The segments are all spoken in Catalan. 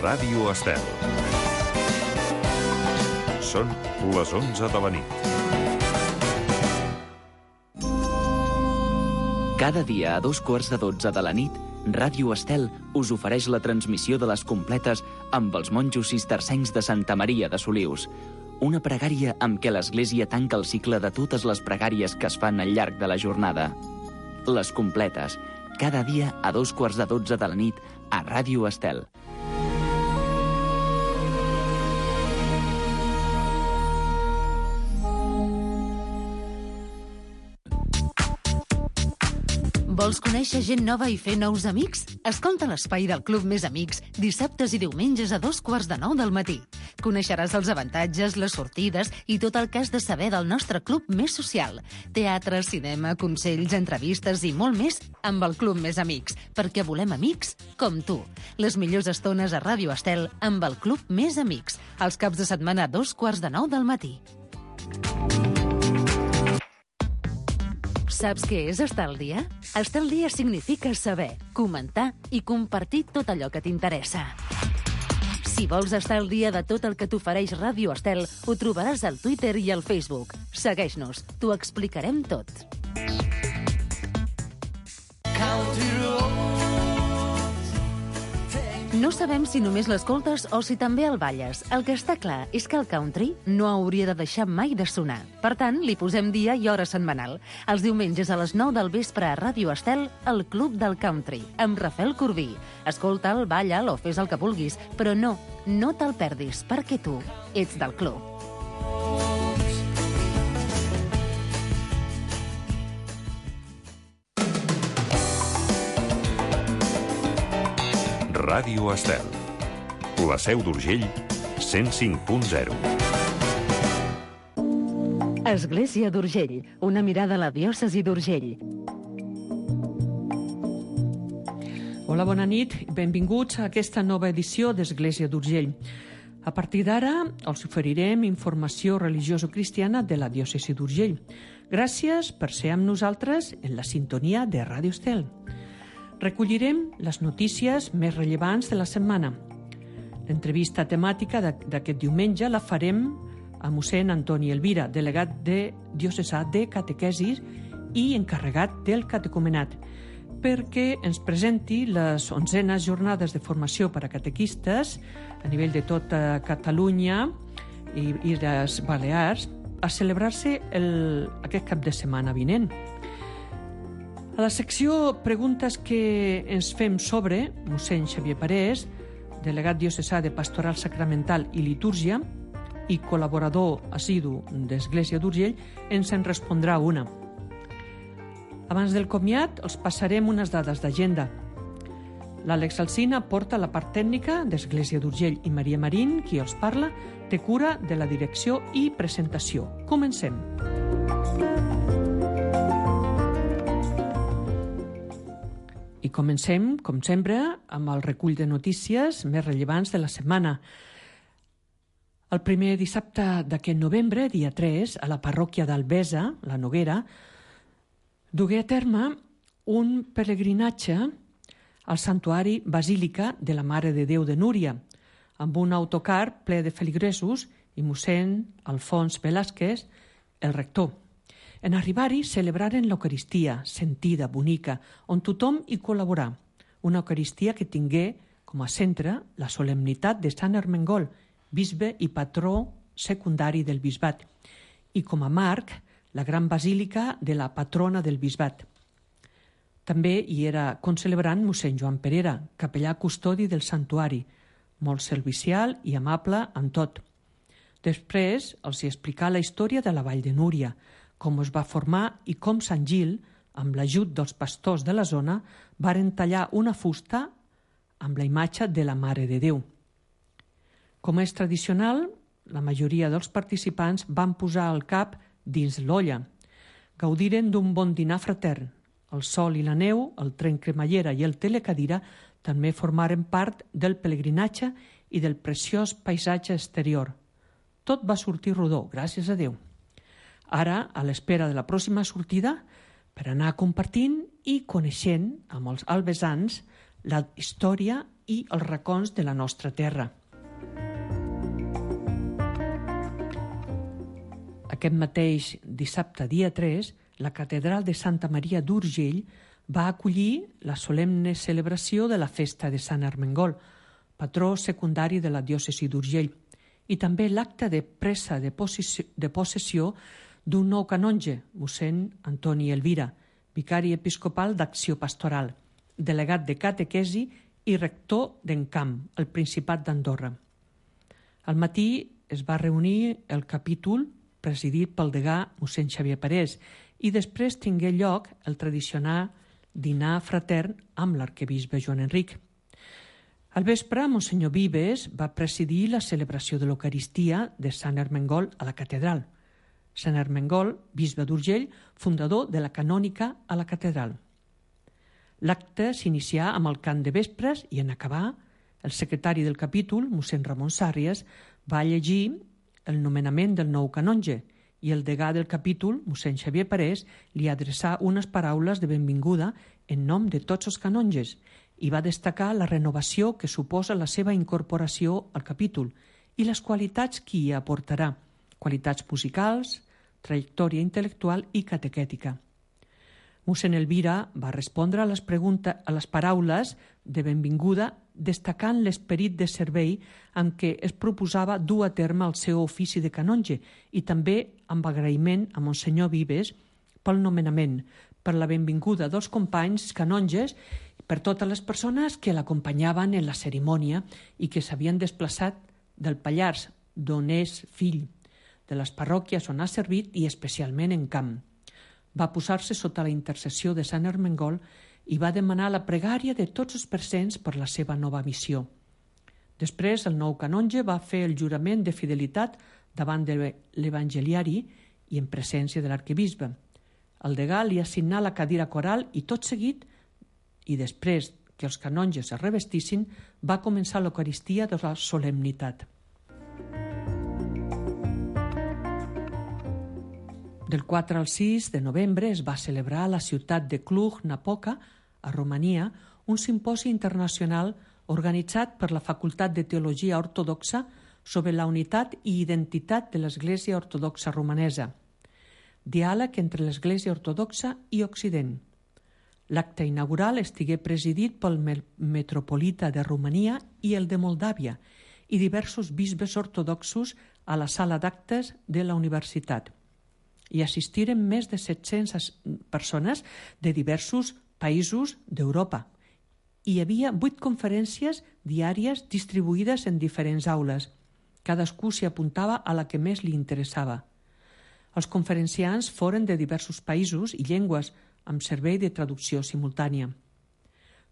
Ràdio Estel. Són les 11 de la nit. Cada dia a 2:15 de la nit, Ràdio Estel us ofereix la transmissió de les completes amb els monjos cistercencs de Santa Maria de Solius. Una pregària amb què l'Església tanca el cicle de totes les pregàries que es fan al llarg de la jornada. Les completes, cada dia a 2:15 de la nit a Ràdio Estel. Vols conèixer gent nova i fer nous amics? Escolta l'Espai del Club Més Amics dissabtes i diumenges a 8:45 del matí. Coneixeràs els avantatges, les sortides i tot el que has de saber del nostre club més social. Teatre, cinema, consells, entrevistes i molt més amb el Club Més Amics, perquè volem amics com tu. Les millors estones a Ràdio Estel amb el Club Més Amics, els caps de setmana a 8:45 del matí. Saps què és estar al dia? Estar al dia significa saber, comentar i compartir tot allò que t'interessa. Si vols estar al dia de tot el que t'ofereix Ràdio Estel, ho trobaràs al Twitter i al Facebook. Segueix-nos, t'ho explicarem tot. No sabem si només l'escoltes o si també el balles. El que està clar és que el country no hauria de deixar mai de sonar. Per tant, li posem dia i hora setmanal. Els diumenges a les 9 del vespre a Ràdio Estel, el Club del Country, amb Rafael Corbí. Escolta'l, balla'l o fes el que vulguis, però no te'l perdis, perquè tu ets del club. Ràdio Estel. La Seu d'Urgell, 105.0. Església d'Urgell, una mirada a la diòcesi d'Urgell. Hola, bona nit. Benvinguts a aquesta nova edició d'Església d'Urgell. A partir d'ara els oferirem informació religioso-cristiana de la diòcesi d'Urgell. Gràcies per ser amb nosaltres en la sintonia de Ràdio Estel. Recollirem les notícies més rellevants de la setmana. L'entrevista temàtica d'aquest diumenge la farem a mossèn Antoni Elvira, delegat diocesà de catequesis i encarregat del catecumenat, perquè ens presenti les 11enes jornades de formació per a catequistes a nivell de tota Catalunya i les Balears a celebrar-se aquest cap de setmana vinent. A la secció Preguntes que ens fem sobre, mossèn Xavier Parés, delegat diocesà de Pastoral Sacramental i Litúrgia i col·laborador assidu d'Església d'Urgell, ens en respondrà una. Abans del comiat, els passarem unes dades d'agenda. L'Àlex Alsina porta la part tècnica d'Església d'Urgell i Maria Marín, qui els parla, té cura de la direcció i presentació. Comencem. I comencem, com sempre, amb el recull de notícies més rellevants de la setmana. El primer dissabte d'aquest novembre, dia 3, a la parròquia d'Albesa, la Noguera, dugué a terme un pelegrinatge al santuari Basílica de la Mare de Déu de Núria, amb un autocar ple de feligresos i mossèn Alfons Velázquez, el rector. En arribar-hi celebraren l'Eucaristia, sentida, bonica, on tothom hi col·laborà. Una Eucaristia que tingué com a centre la solemnitat de Sant Ermengol, bisbe i patró secundari del bisbat, i com a marc la gran basílica de la patrona del bisbat. També hi era concelebrant mossèn Joan Perera, capellà custodi del santuari, molt servicial i amable en tot. Després els hi explicà la història de la Vall de Núria, com es va formar i com Sant Gil, amb l'ajut dels pastors de la zona, varen tallar una fusta amb la imatge de la Mare de Déu. Com és tradicional, la majoria dels participants van posar el cap dins l'olla. Gaudiren d'un bon dinar fratern. El sol i la neu, el tren cremallera i el telecadira també formaren part del pelegrinatge i del preciós paisatge exterior. Tot va sortir rodó, gràcies a Déu. Ara, a l'espera de la pròxima sortida, per anar compartint i coneixent amb els albesans la història i els racons de la nostra terra. Aquest mateix dissabte, dia 3, la Catedral de Santa Maria d'Urgell va acollir la solemne celebració de la festa de Sant Ermengol, patró secundari de la diòcesi d'Urgell, i també l'acte de presa de possessió d'un nou canonge, mossèn Antoni Elvira, vicari episcopal d'Acció Pastoral, delegat de catequesi i rector d'Encamp, al Principat d'Andorra. Al matí es va reunir el capítol presidit pel degà mossèn Xavier Parés i després tingué lloc el tradicional dinar fratern amb l'arquebisbe Joan Enric. Al vespre, Monsenyor Vives va presidir la celebració de l'Eucaristia de Sant Ermengol a la catedral. Sant Ermengol, bisbe d'Urgell, fundador de la canònica a la catedral. L'acte s'inicià amb el cant de vespres i en acabar, el secretari del capítol, mossèn Ramon Sàrries, va llegir el nomenament del nou canonge i el degà del capítol, mossèn Xavier Parés, li adreçà unes paraules de benvinguda en nom de tots els canonges i va destacar la renovació que suposa la seva incorporació al capítol i les qualitats que hi aportarà, qualitats musicals, trajectòria intel·lectual i catequètica. Mossèn Elvira va respondre a les paraules de benvinguda destacant l'esperit de servei amb què es proposava dur a terme el seu ofici de canonge i també amb agraïment a Monsenyor Vives pel nomenament, per la benvinguda dels companys canonges i per totes les persones que l'acompanyaven en la cerimònia i que s'havien desplaçat del Pallars, d'on és fill, de les parròquies on ha servit i especialment en Camp. Va posar-se sota la intercessió de Sant Ermengol i va demanar la pregària de tots els presents per la seva nova missió. Després, el nou canonge va fer el jurament de fidelitat davant de l'evangeliari i en presència de l'arquebisbe. El degà li assignà la cadira coral i tot seguit, i després que els canonges es revestissin, va començar l'Eucaristia de la solemnitat. Del 4 al 6 de novembre es va celebrar a la ciutat de Cluj-Napoca, a Romania, un simposi internacional organitzat per la Facultat de Teologia Ortodoxa sobre la unitat i identitat de l'Església Ortodoxa Romanesa. Diàleg entre l'Església Ortodoxa i Occident. L'acte inaugural estigué presidit pel metropolita de Romania i el de Moldàvia i diversos bisbes ortodoxos a la sala d'actes de la universitat. Hi assistiren més de 700 persones de diversos països d'Europa. Hi havia 8 conferències diàries distribuïdes en diferents aules. Cadascú s'hi apuntava a la que més li interessava. Els conferenciants foren de diversos països i llengües, amb servei de traducció simultània.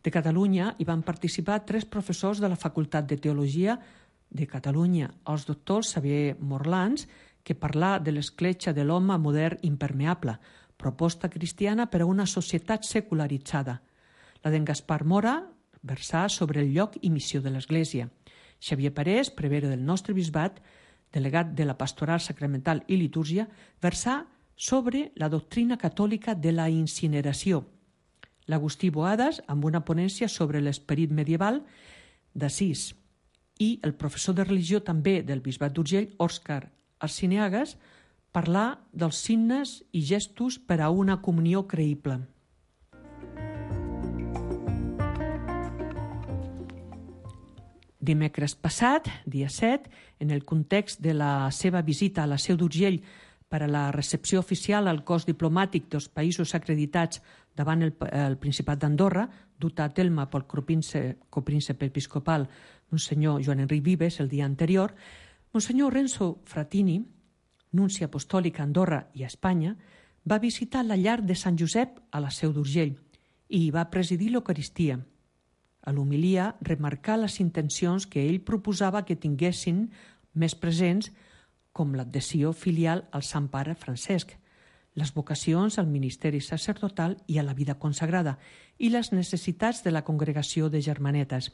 De Catalunya hi van participar 3 professors de la Facultat de Teologia de Catalunya, els doctors Xavier Morlans, que parlà de l'escletxa de l'home modern impermeable, proposta cristiana per a una societat secularitzada. La d'en Gaspar Mora versà sobre el lloc i missió de l'Església. Xavier Parés, prevere del nostre bisbat, delegat de la Pastoral Sacramental i Litúrgia, versà sobre la doctrina catòlica de la incineració. L'Agustí Boadas, amb una ponència sobre l'esperit medieval d'Assís. I el professor de religió també del bisbat d'Urgell, Òscar Arciniegas, parlar dels signes i gestos per a una comunió creïble. Dimecres passat, dia 7, en el context de la seva visita a la Seu d'Urgell per a la recepció oficial al cos diplomàtic dels països acreditats davant el Principat d'Andorra, dut a terme pel copríncep episcopal Monsenyor Joan Enric Vives el dia anterior, Monsenyor Renzo Fratini, nunci apostòlic a Andorra i a Espanya, va visitar la llar de Sant Josep a la Seu d'Urgell i hi va presidir l'Eucaristia. A l'homilia remarcà les intencions que ell proposava que tinguessin més presents, com l'adhesió filial al Sant Pare Francesc, les vocacions al ministeri sacerdotal i a la vida consagrada i les necessitats de la congregació de germanetes.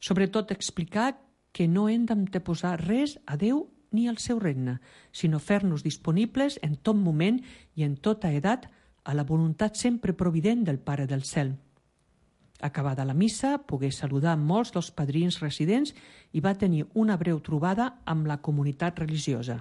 Sobretot explicar que no hem d'anteposar res a Déu ni al seu regne, sinó fer-nos disponibles en tot moment i en tota edat a la voluntat sempre provident del Pare del Cel. Acabada la missa, pogué saludar molts dels padrins residents i va tenir una breu trobada amb la comunitat religiosa.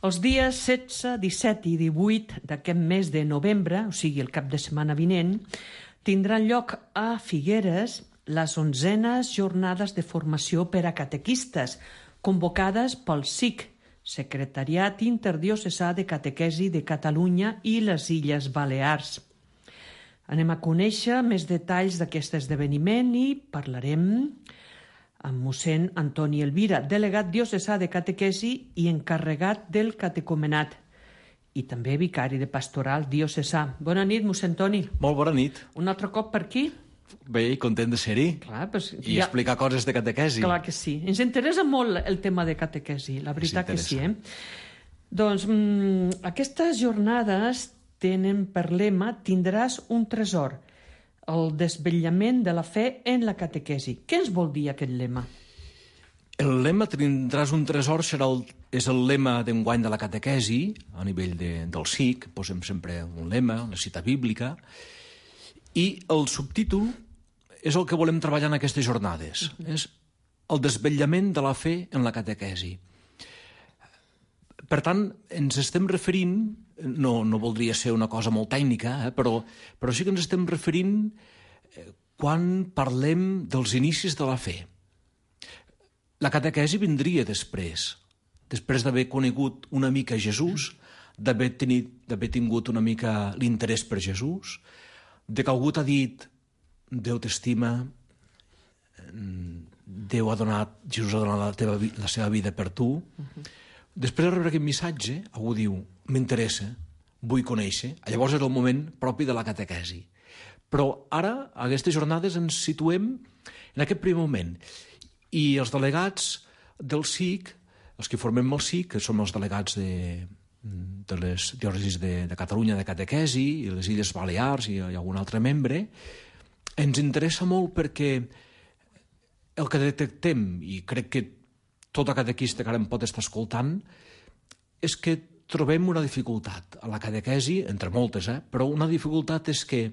Els dies 16, 17 i 18 d'aquest mes de novembre, o sigui el cap de setmana vinent, tindran lloc a Figueres les 11enes jornades de formació per a catequistes, convocades pel SIC, Secretariat Interdiocesà de Catequesi de Catalunya i les Illes Balears. Anem a conèixer més detalls d'aquest esdeveniment i parlarem amb mossèn Antoni Elvira, delegat diocesà de catequesi i encarregat del catecumenat, i també vicari de pastoral diocesà. Bona nit, mossèn Antoni. Molt bona nit. Un altre cop per aquí? Bé, content de ser-hi. Clar, pues, I explicar coses de catequesi. Clar que sí. Ens interessa molt el tema de catequesi, la veritat que sí. Doncs aquestes jornades tenen per lema "Tindràs un tresor", el desvetllament de la fe en la catequesi. Què ens vol dir aquest lema? El lema "Tindràs un tresor" és el lema d'enguany de la catequesi, a nivell del SIC, posem sempre un lema, una cita bíblica, i el subtítol és el que volem treballar en aquestes jornades. És el desvetllament de la fe en la catequesi. Per tant, ens estem referint, no voldria ser una cosa molt tècnica, però sí que ens estem referint quan parlem dels inicis de la fe. La catequesi vindria després d'haver conegut una mica Jesús, d'haver tingut una mica l'interès per Jesús, de que algú t'ha dit Déu t'estima, Jesús ha donat la seva vida per tu. Després de rebre aquest missatge, algú diu, m'interessa, vull conèixer. Llavors és el moment propi de la catequesi. Però ara, a aquestes jornades, ens situem en aquest primer moment. I els delegats del SIC, els que formem el SIC, que som els delegats de les diòcesis de Catalunya de catequesi i les Illes Balears i algun altre membre, ens interessa molt perquè el que detectem, i crec que tota catequista que ara em pot estar escoltant, és que trobem una dificultat a la catequesi, entre moltes, però una dificultat és que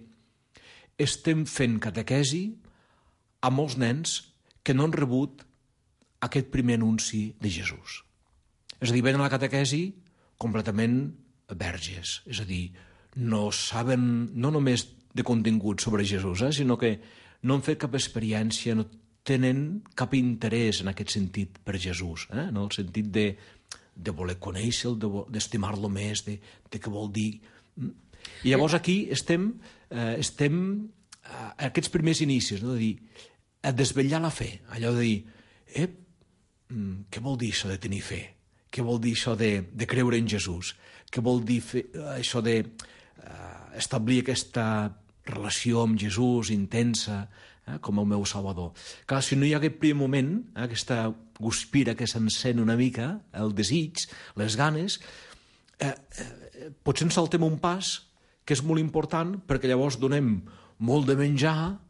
estem fent catequesi a molts nens que no han rebut aquest primer anunci de Jesús. És a dir, venen a la catequesi completament verges, és a dir, no saben no només de contingut sobre Jesús, sinó que no han fet cap experiència, no tenen cap interès en aquest sentit per Jesús, en el sentit de voler conèixer-lo, d'estimar-lo més, de què vol dir. I llavors aquí estem a aquests primers inicis, de dir, a desvetllar la fe, allò de dir, què vol dir això de tenir fe? Què vol dir això de creure en Jesús? Què vol dir això d'establir aquesta relació amb Jesús intensa, com el meu Salvador? Clar, si no hi ha aquest primer moment, aquesta guspira que s'encén una mica, el desig, les ganes, potser ens saltem un pas que és molt important perquè llavors donem molt de menjar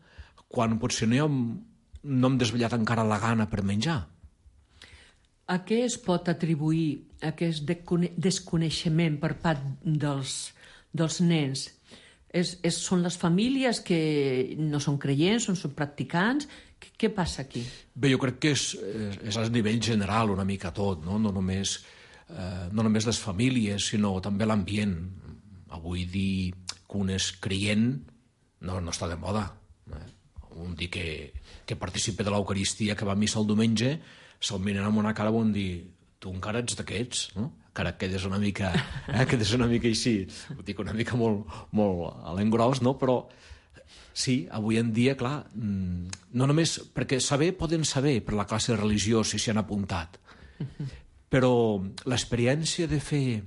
quan potser no hem desvetllat encara la gana per menjar. A què es pot atribuir aquest desconeixement per part dels nens? Són les famílies que no són creients, són practicants? Què passa aquí? Bé, jo crec que és a nivell general una mica tot, no només les famílies, sinó també l'ambient. Avui dir que un és creient no està de moda. Un dir que participa de l'Eucaristia, que va a missa el diumenge, se'l miren amb una cara on dir, tu encara ets d'aquests, no? Encara quedes una mica així, ho dic una mica molt a l'engròs, no? Però sí, avui en dia, clar, no només perquè poden saber per la classe de religió si s'hi han apuntat, però l'experiència de fer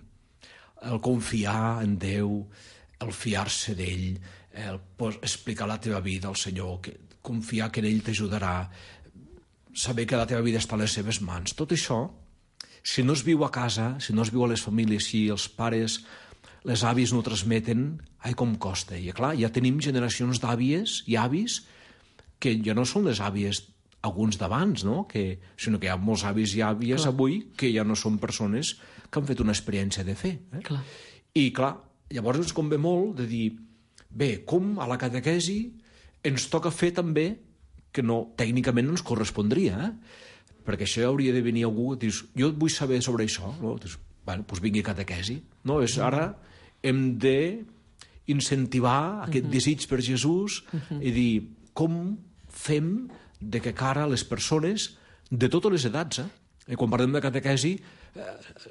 el confiar en Déu, el fiar-se d'ell, el explicar la teva vida al Senyor, confiar que en ell t'ajudarà, saber que la teva vida està a les seves mans, tot això, si no es viu a casa, si no es viu a les famílies, si els pares, les àvies no ho transmeten, ai, com costa. I clar, ja tenim generacions d'àvies i avis que ja no són les àvies alguns d'abans, no? Sinó que hi ha molts avis i àvies avui que ja no són persones que han fet una experiència de fe. Clar. I, clar, llavors ens convé molt de dir, bé, com a la catequesi ens toca fer també que no, tècnicament no ens correspondria, perquè això hauria de venir algú que dius, jo vull saber sobre això, no? Dius, bueno, doncs vingui catequesi. No, ara hem de incentivar aquest desig per Jesús i dir com fem de que cara a les persones de totes les edats. I quan parlem de catequesi,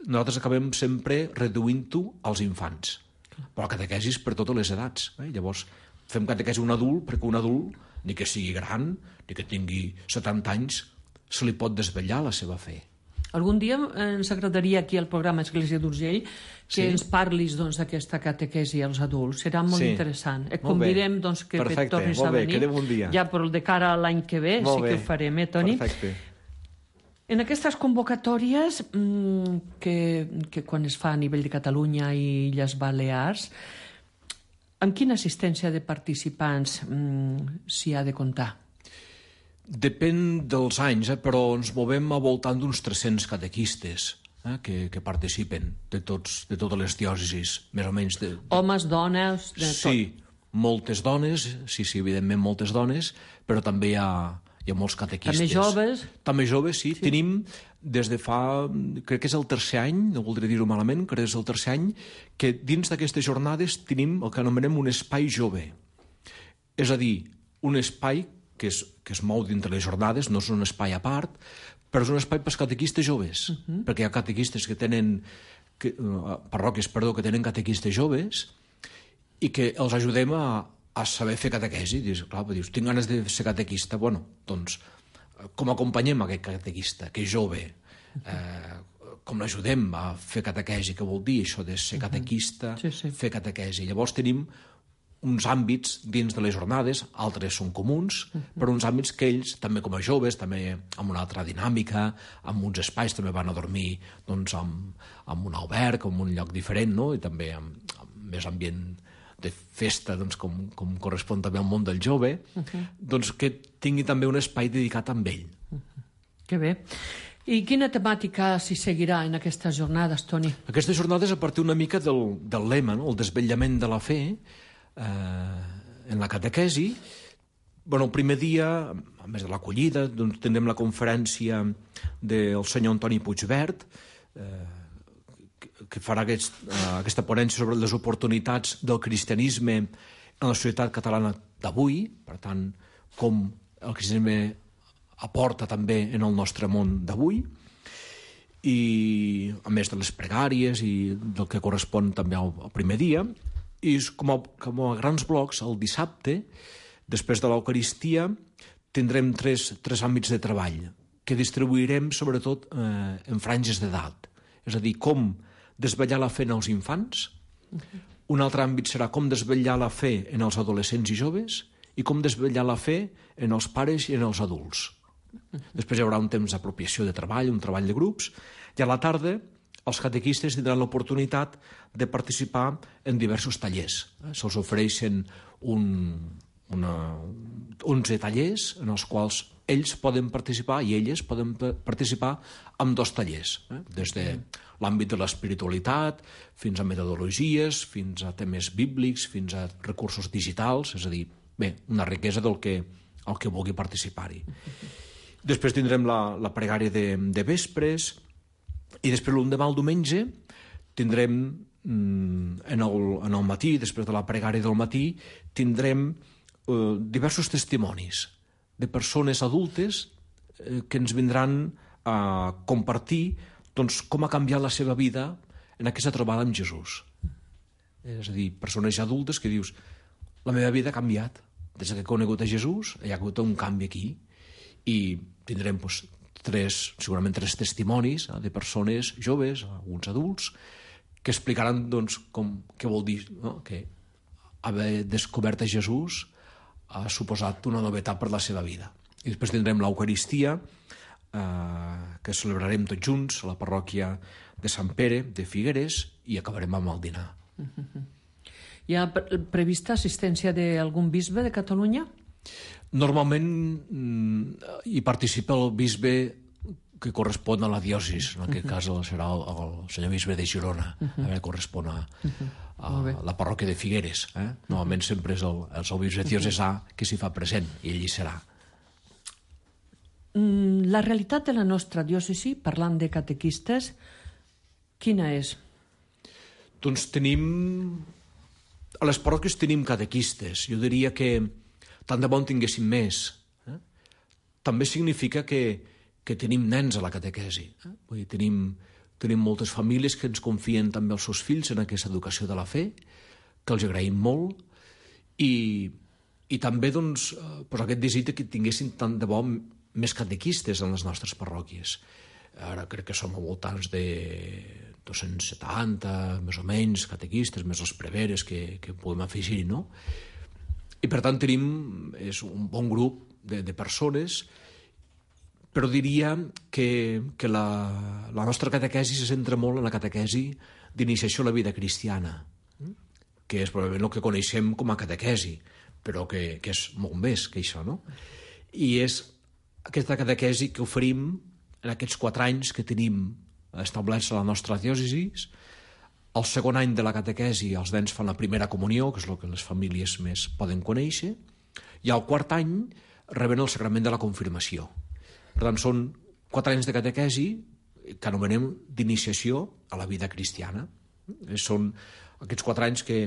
nosaltres acabem sempre reduint-ho als infants. Però la catequesi és per totes les edats. Llavors, fem catequesi a un adult perquè un adult, ni que sigui gran, ni que tingui 70 anys, se li pot desvetllar la seva fe. Algun dia ens agradaria aquí al programa Església d'Urgell que ens parlis d'aquesta catequesi als adults. Serà molt interessant. Et convidem que tornis a venir. Quedem un dia. Ja però de cara a l'any que ve sí que ho farem, Toni? Perfecte. En aquestes convocatòries que quan es fa a nivell de Catalunya i Illes Balears, amb quina assistència de participants s'hi ha de comptar? Depèn dels anys, però ens movem al voltant d'uns 300 catequistes que participen de totes les diòcesis, més o menys. Homes, dones, de tot. Sí, moltes dones, sí, evidentment moltes dones, però també hi ha molts catequistes. També joves? També joves, sí. Tenim des de fa, crec que és el tercer any, no voldré dir-ho malament, crec que és el tercer any, que dins d'aquestes jornades tenim el que anomenem un espai jove. És a dir, un espai que es mou dintre les jornades, no és un espai a part, però és un espai pels catequistes joves, perquè hi ha catequistes que tenen, parròquies, que tenen catequistes joves i que els ajudem a saber fer catequesi. Dius, tinc ganes de ser catequista, bueno, doncs, com acompanyem aquest catequista, que és jove? Com l'ajudem a fer catequesi? Què vol dir això de ser catequista, fer catequesi? Llavors tenim uns àmbits dins de les jornades, altres són comuns, però uns àmbits que ells, també com a joves, també amb una altra dinàmica, amb uns espais, també van a dormir amb un alberg, en un lloc diferent, no? I també amb més ambient de festa, com correspon també al món del jove, doncs que tingui també un espai dedicat a ell. Que bé. I quina temàtica s'hi seguirà en aquestes jornades, Toni? Aquestes jornades a partir una mica del lema, no? El desvetllament de la fe, en la catequesi. El primer dia, a més de l'acollida, tindrem la conferència del senyor Antoni Puigvert, que farà aquesta ponència sobre les oportunitats del cristianisme en la societat catalana d'avui, per tant, com el cristianisme aporta també en el nostre món d'avui, i a més de les pregàries i del que correspon també al primer dia. I com a grans blocs, el dissabte, després de l'Eucaristia, tindrem tres àmbits de treball que distribuirem sobretot en franges d'edat. És a dir, com desvetllar la fe en els infants, un altre àmbit serà com desvetllar la fe en els adolescents i joves i com desvetllar la fe en els pares i en els adults. Després hi haurà un temps d'apropiació de treball, un treball de grups, i a la tarda els catequistes tindran l'oportunitat de participar en diversos tallers. Se'ls ofereixen 11 tallers en els quals ells poden participar i elles poden participar en 2 tallers, des de l'àmbit de l'espiritualitat fins a metodologies, fins a temes bíblics, fins a recursos digitals, és a dir, bé, una riquesa del que vulgui participar-hi. Després tindrem la pregària de vespres, i després l'endemà, el diumenge, tindrem en el matí, després de la pregària del matí, tindrem diversos testimonis de persones adultes que ens vindran a compartir com ha canviat la seva vida en aquesta trobada amb Jesús. És a dir, persones ja adultes que dius, la meva vida ha canviat. Des que he conegut a Jesús hi ha hagut un canvi aquí. I tindrem segurament 3 testimonis de persones joves, alguns adults, que explicaran què vol dir que haver descobert a Jesús ha suposat una novetat per la seva vida. I després tindrem l'Eucaristia, que celebrarem tots junts a la parròquia de Sant Pere de Figueres, i acabarem amb el dinar. Hi ha prevista assistència d'algun bisbe de Catalunya? Normalment hi participa el bisbe que correspon a la diòcesi, en aquest cas serà el senyor bisbe de Girona, correspon a la parròquia de Figueres. Normalment sempre és el bisbe diocesà que s'hi fa present, i ell hi serà. La realitat de la nostra diòcesi, parlant de catequistes, quina és? Doncs a les parròquies tenim catequistes. Jo diria que tant de bo en tinguéssim més. També significa que tenim nens a la catequesi. Vull dir, tenim moltes famílies que ens confien també els seus fills en aquesta educació de la fe, que els agraïm molt, i també doncs, aquest desig que tinguessin tant de bo més catequistes en les nostres parròquies. Ara crec que som a voltants de 270, més o menys, catequistes, més els preveres que podem afegir, no? I per tant és un bon grup de persones, però diria que la nostra catequesi se centra molt en la catequesi d'iniciació a la vida cristiana, que és probablement el que coneixem com a catequesi, però que és molt més que això, no? I és aquesta catequesi que oferim en aquests 4 anys que tenim establerts a la nostra diòcesi. El segon any de la catequesi els nens fan la primera comunió, que és el que les famílies més poden conèixer, i al quart any reben el sacrament de la confirmació. Per tant, són 4 anys de catequesi que anomenem d'iniciació a la vida cristiana. Són aquests 4 anys que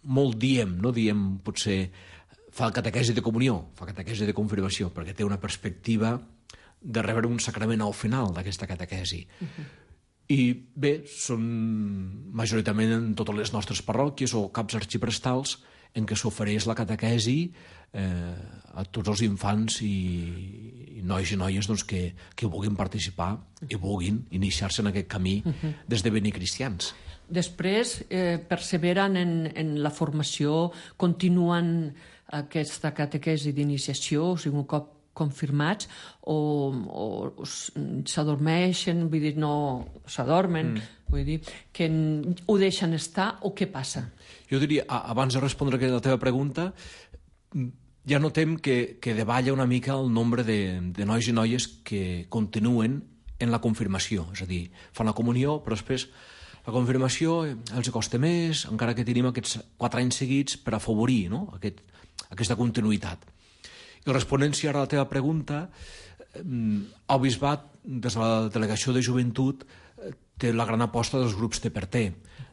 molt diem, no diem potser fa catequesi de comunió, fa catequesi de confirmació, perquè té una perspectiva de rebre un sacrament al final d'aquesta catequesi. I bé, són majoritàriament en totes les nostres parròquies o caps arxiprestals en què s'ofereix la catequesi a tots els infants i nois i noies doncs, que vulguin participar i vulguin iniciar-se en aquest camí d'esdevenir cristians. Després, perseveren en la formació, continuen aquesta catequesi d'iniciació, o sigui, un cop confirmats, o s'adormeixen, vull dir, no s'adormen, vull dir, que ho deixen estar, o què passa? Jo diria, abans de respondre a la teva pregunta, ja notem que davalla una mica el nombre de nois i noies que continuen en la confirmació, és a dir, fan la comunió, però després la confirmació els costa més, encara que tenim aquests 4 anys seguits per afavorir, no?, aquesta continuïtat. I responent ara a la teva pregunta, el bisbat, des de la delegació de joventut, té la gran aposta dels grups de per té,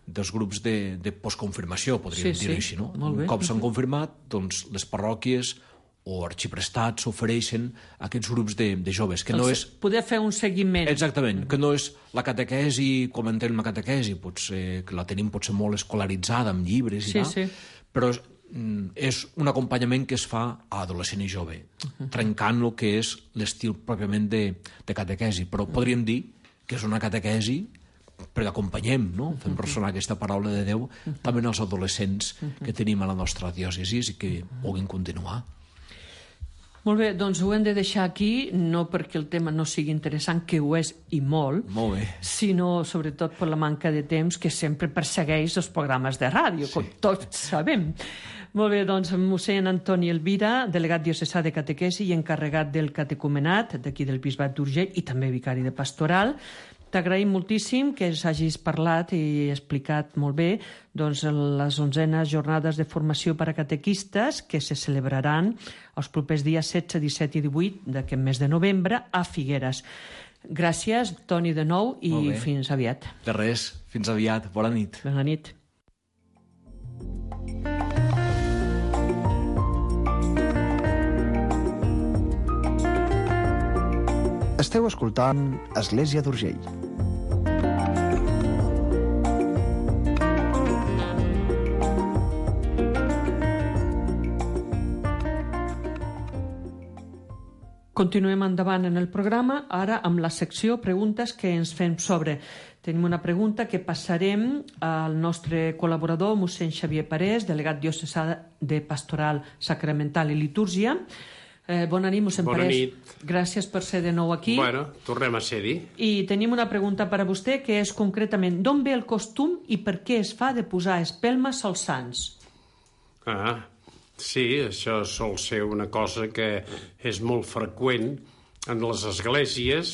dels grups de postconfirmació, podríem dir així, no? Un cop s'han confirmat, doncs les parròquies o arxiprestats ofereixen aquests grups de joves, que no és... Poder fer un seguiment. Exactament, que no és la catequesi, com entenem la catequesi, potser que la tenim potser molt escolaritzada amb llibres i tal, però és un acompanyament que es fa a adolescent i jove, trencant el que és l'estil pròpiament de catequesi, però podríem dir que és una catequesi perquè acompanyem, no? Fem ressonar aquesta paraula de Déu també en els adolescents que tenim a la nostra diòcesi i que puguin continuar. Molt bé, doncs ho hem de deixar aquí, no perquè el tema no sigui interessant, que ho és i molt, sinó sobretot per la manca de temps que sempre persegueix els programes de ràdio, com tots sabem. Molt bé, doncs mossèn Antoni Elvira, delegat diocesà de catequesi i encarregat del catecumenat d'aquí del Bisbat d'Urgell i també vicari de pastoral. T'agraïm moltíssim que ens hagis parlat i explicat molt bé doncs, les 11enes jornades de formació per a catequistes que se celebraran els propers dies 16, 17 i 18 d'aquest mes de novembre a Figueres. Gràcies, Toni, de nou, i fins aviat. De res, fins aviat. Bona nit. Bona nit. Esteu escoltant Església d'Urgell. Continuem endavant en el programa, ara amb la secció Preguntes que ens fem sobre. Tenim una pregunta que passarem al nostre col·laborador, mossèn Xavier Parés, delegat diocesà de Pastoral Sacramental i Litúrgia. Bona nit, mossèn Parés. Bona nit. Gràcies per ser de nou aquí. Bueno, tornem a ser-hi. I tenim una pregunta per a vostè, que és concretament d'on ve el costum i per què es fa de posar espelmes als sants? Sí, això sol ser una cosa que és molt freqüent en les esglésies,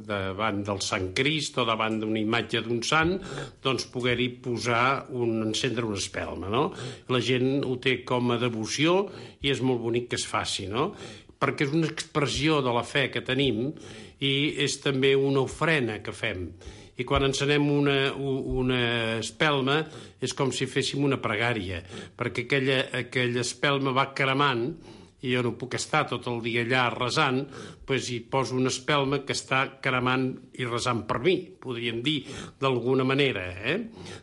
davant del Sant Crist o davant d'una imatge d'un sant, doncs poder-hi encendre una espelma, no? La gent ho té com a devoció i és molt bonic que es faci, no? Perquè és una expressió de la fe que tenim i és també una ofrena que fem. I quan encenem una espelma és com si féssim una pregària, perquè aquella espelma va cremant i jo no puc estar tot el dia allà resant, doncs hi poso una espelma que està cremant i resant per mi, podríem dir, d'alguna manera.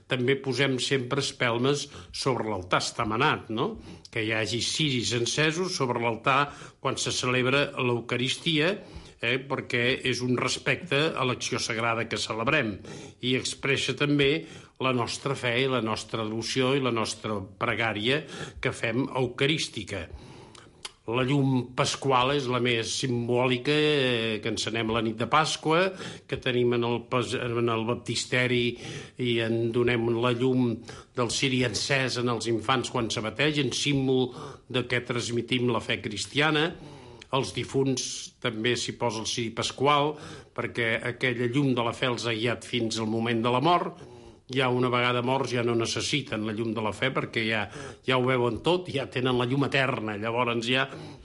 També posem sempre espelmes sobre l'altar estamanat, no? Que hi hagi ciris encesos sobre l'altar quan se celebra l'Eucaristia, perquè és un respecte a l'acció sagrada que celebrem i expressa també la nostra fe i la nostra devoció i la nostra pregària que fem eucarística. La llum pasqual és la més simbòlica que encenem la nit de Pasqua, que tenim en el baptisteri i en donem la llum del ciri encès en els infants quan se bategen, símbol de què transmitim la fe cristiana. Els difunts també s'hi posa el ciri pasqual, perquè aquella llum de la fe els ha guiat fins al moment de la mort. Ja una vegada morts ja no necessiten la llum de la fe perquè ja ho veuen tot, ja tenen la llum eterna, llavors ja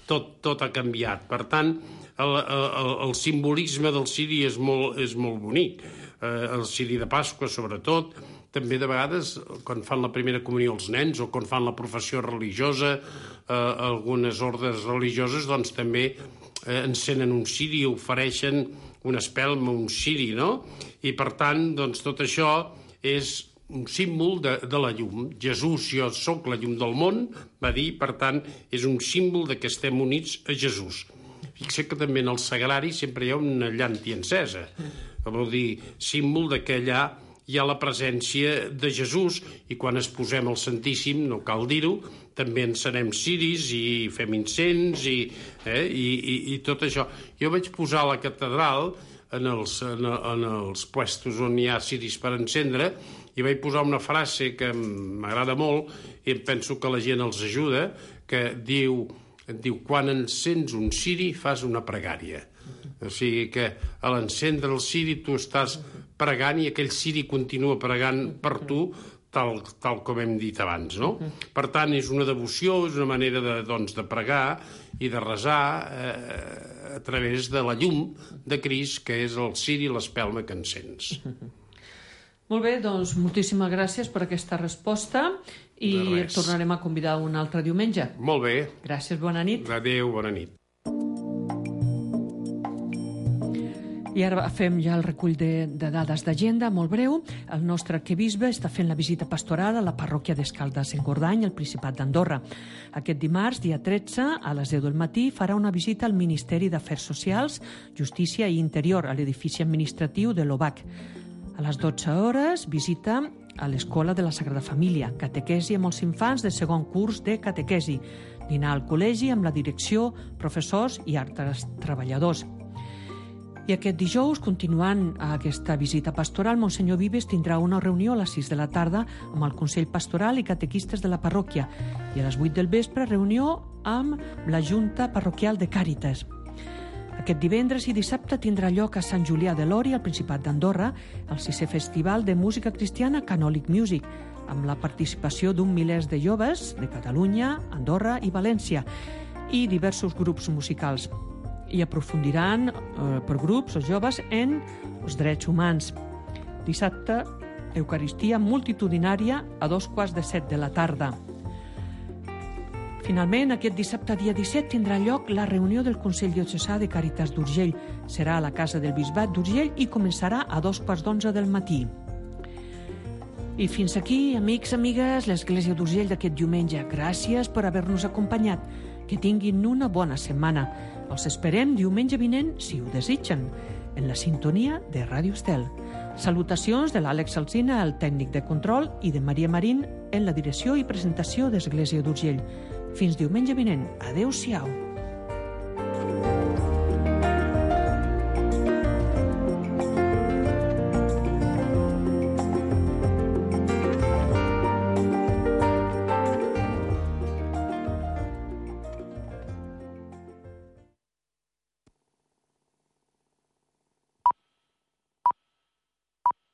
tot ha canviat. Per tant, el simbolisme del ciri és molt bonic. El ciri de Pasqua, sobretot, també de vegades, quan fan la primera comunió els nens o quan fan la professió religiosa, algunes ordes religioses, doncs també encenen un ciri, ofereixen una espelma, un ciri, no? I per tant, doncs tot això és un símbol de la llum. Jesús, jo sóc la llum del món, va dir, per tant, és un símbol de que estem units a Jesús. Fixa't que també en el sagrari sempre hi ha una llàntia encesa. Vol dir, símbol de que allà hi ha la presència de Jesús i quan es posem al Santíssim, no cal dir-ho, també encenem ciris i fem incens i tot això. Jo vaig posar a la catedral en els puestos on hi ha ciris per encendre i vaig posar una frase que m'agrada molt i em penso que la gent els ajuda, que diu quan encens un ciri fas una pregària. O sigui que a l'encendre el ciri tu estàs pregant i aquell ciri continua pregant per tu tal com hem dit abans, no? Per tant, és una devoció, és una manera de pregar i de resar a través de la llum de Crist, que és el ciri i l'espelma que encens. Molt bé, doncs moltíssimes gràcies per aquesta resposta i et tornarem a convidar un altre diumenge. Molt bé. Gràcies, bona nit. Adéu, bona nit. I ara fem ja el recull de dades d'agenda, molt breu. El nostre arquebisbe està fent la visita pastoral a la parròquia d'Escaldes-Engordany, al Principat d'Andorra. Aquest dimarts, dia 13, a les 10 del matí, farà una visita al Ministeri d'Afers Socials, Justícia i Interior, a l'edifici administratiu de l'OBAC. A les 12 hores, visita a l'Escola de la Sagrada Família, catequesi amb els infants de segon curs de catequesi, dinar al col·legi amb la direcció, professors i altres treballadors. I aquest dijous, continuant aquesta visita pastoral, Monsenyor Vives tindrà una reunió a les 6 de la tarda amb el Consell Pastoral i catequistes de la parròquia i a les 8 del vespre reunió amb la Junta Parroquial de Càritas. Aquest divendres i dissabte tindrà lloc a Sant Julià de Lòria, al Principat d'Andorra, el 6è Festival de Música Cristiana Canòlic Music, amb la participació d'un milers de joves de Catalunya, Andorra i València i diversos grups musicals. I aprofundiran per grups o joves en els drets humans. Dissabte, Eucaristia multitudinària a 6:45 de la tarda. Finalment, aquest dissabte, dia 17, tindrà lloc la reunió del Consell Diocesà de Càritas d'Urgell. Serà a la Casa del Bisbat d'Urgell i començarà a 2:15 del matí. I fins aquí, amics, amigues, l'Església d'Urgell d'aquest diumenge. Gràcies per haver-nos acompanyat. Que tinguin una bona setmana. Els esperem diumenge vinent, si ho desitgen, en la sintonia de Ràdio Estel. Salutacions de l'Àlex Alsina, el tècnic de control, i de Maria Marín en la direcció i presentació d'Església d'Urgell. Fins diumenge vinent. Adéu-siau.